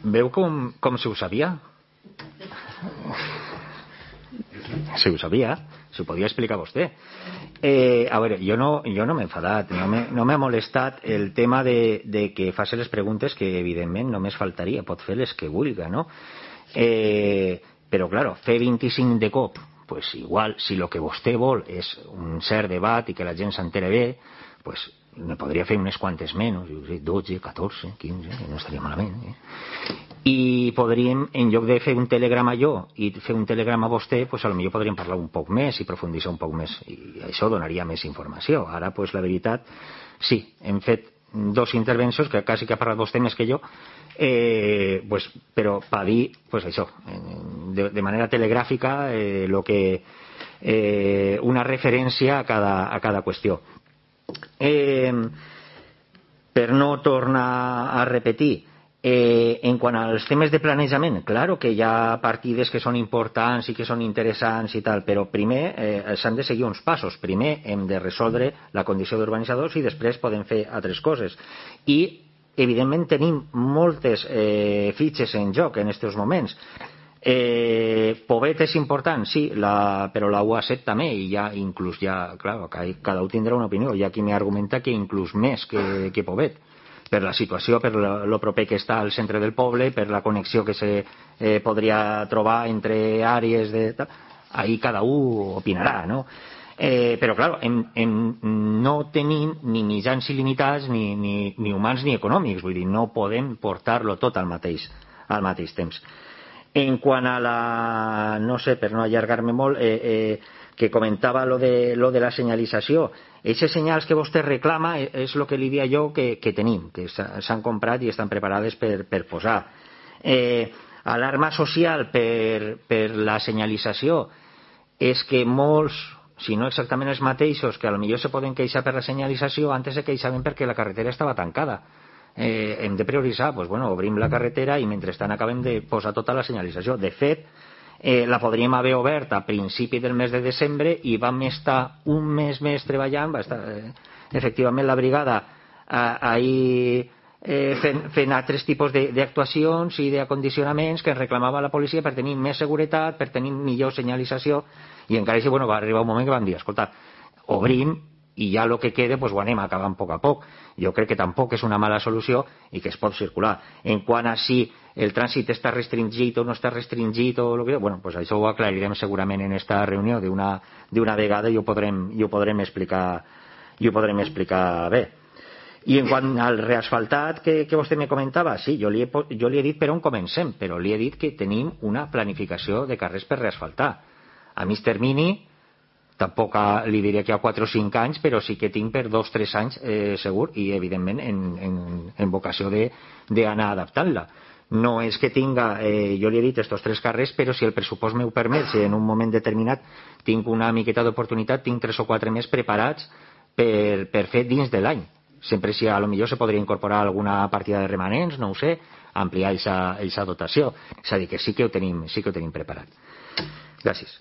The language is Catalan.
Veu com si ho sabia? Si ho sabia, si ho podia explicar vostè. A veure, jo no m'he enfadat, no m'ha molestat el tema de que faci les preguntes, que evidentment només faltaria, pot fer les que vulgui, no? Però, claro, fer 25 de cop, pues igual, si lo que vostè vol és un cert debat i que la gent s'entere bé, pues ne podria fer unes quantes menys, 12, 14, 15, no estaria malament, i podríem, en lloc de fer un telegrama jo i fer un telegrama a vostè, pues a lo millor podríem parlar un poc més i profunditzar un poc més, i això donaria més informació. Ara, pues la veritat, sí, hem fet 2 intervencions, que quasi que ha parlat vostè més que jo, pues, però per dir, pues això, de manera telegràfica, lo que una referència a cada qüestió. Per no tornar a repetir, en quant als temes de planejament, claro que hi ha partides que són importants i que són interessants i tal, però primer s'han de seguir uns passos. Primer hem de resoldre la condició d'urbanitzadors i després podem fer altres coses. I evidentment tenim moltes fitxes en joc en aquests moments. Pobet és important, sí, però la UA7 també, i ja inclús claro, cada un tindrà una opinió. Hi ha qui m'argumenta que inclús més que Pobet, per la situació, per lo proper que està al centre del poble, per la connexió que se podria trobar entre àrees de... Ahí cada un opinarà, no? Però, clar, no tenim ni mitjans il·limitats, ni humans ni econòmics, vull dir, no podem portar-lo tot al mateix temps. En quant a la... no sé, per no allargar-me molt, que comentava lo de la senyalització, aquests senyals que vostè reclama és el que li dia jo que tenim, que s'han comprat i estan preparades per posar. Alarma social per la senyalització és que molts, si no exactament els mateixos, que potser se poden queixar per la senyalització, antes se queixaven perquè la carretera estava tancada. Hem de prioritzar, doncs, bueno, obrim la carretera i mentrestant acabem de posar tota la senyalització. De fet, la podríem haver obert a principi del mes de desembre i vam estar un mes més treballant, va estar efectivament la brigada ahir fent altres tipus d'actuacions i d'acondicionaments que reclamava la policia per tenir més seguretat, per tenir millor senyalització, i encara així, bueno, va arribar un moment que vam dir, escolta, obrim i ja el que queda pues, ho anem acabant a poc a poc. Jo crec que tampoc és una mala solució i que es pot circular. En quant a si el trànsit està restringit o no està restringit o que, bueno, pues això ho aclarirem segurament en esta reunió d'una vegada i ho podrem explicar bé. I en quant al reasfaltat que vostè me comentava, sí, jo li he dit per on comencem, però li he dit que tenim una planificació de carrers per reasfaltar. A mig termini tampoc li diré que a 4 o 5 anys, però sí que tinc per 2 o 3 anys segur, i evidentment en vocació d'anar adaptant-la. No és que tinga, jo li he dit estos 3 carrers, però si el pressupost m'ho permet, si en un moment determinat tinc una miqueta d'oportunitat, tinc 3 o 4 més preparats per fer dins de l'any. Sempre si a lo millor se podria incorporar alguna partida de remanents, no ho sé, ampliar aquesta dotació. És a dir, que sí que ho tenim preparat. Gràcies.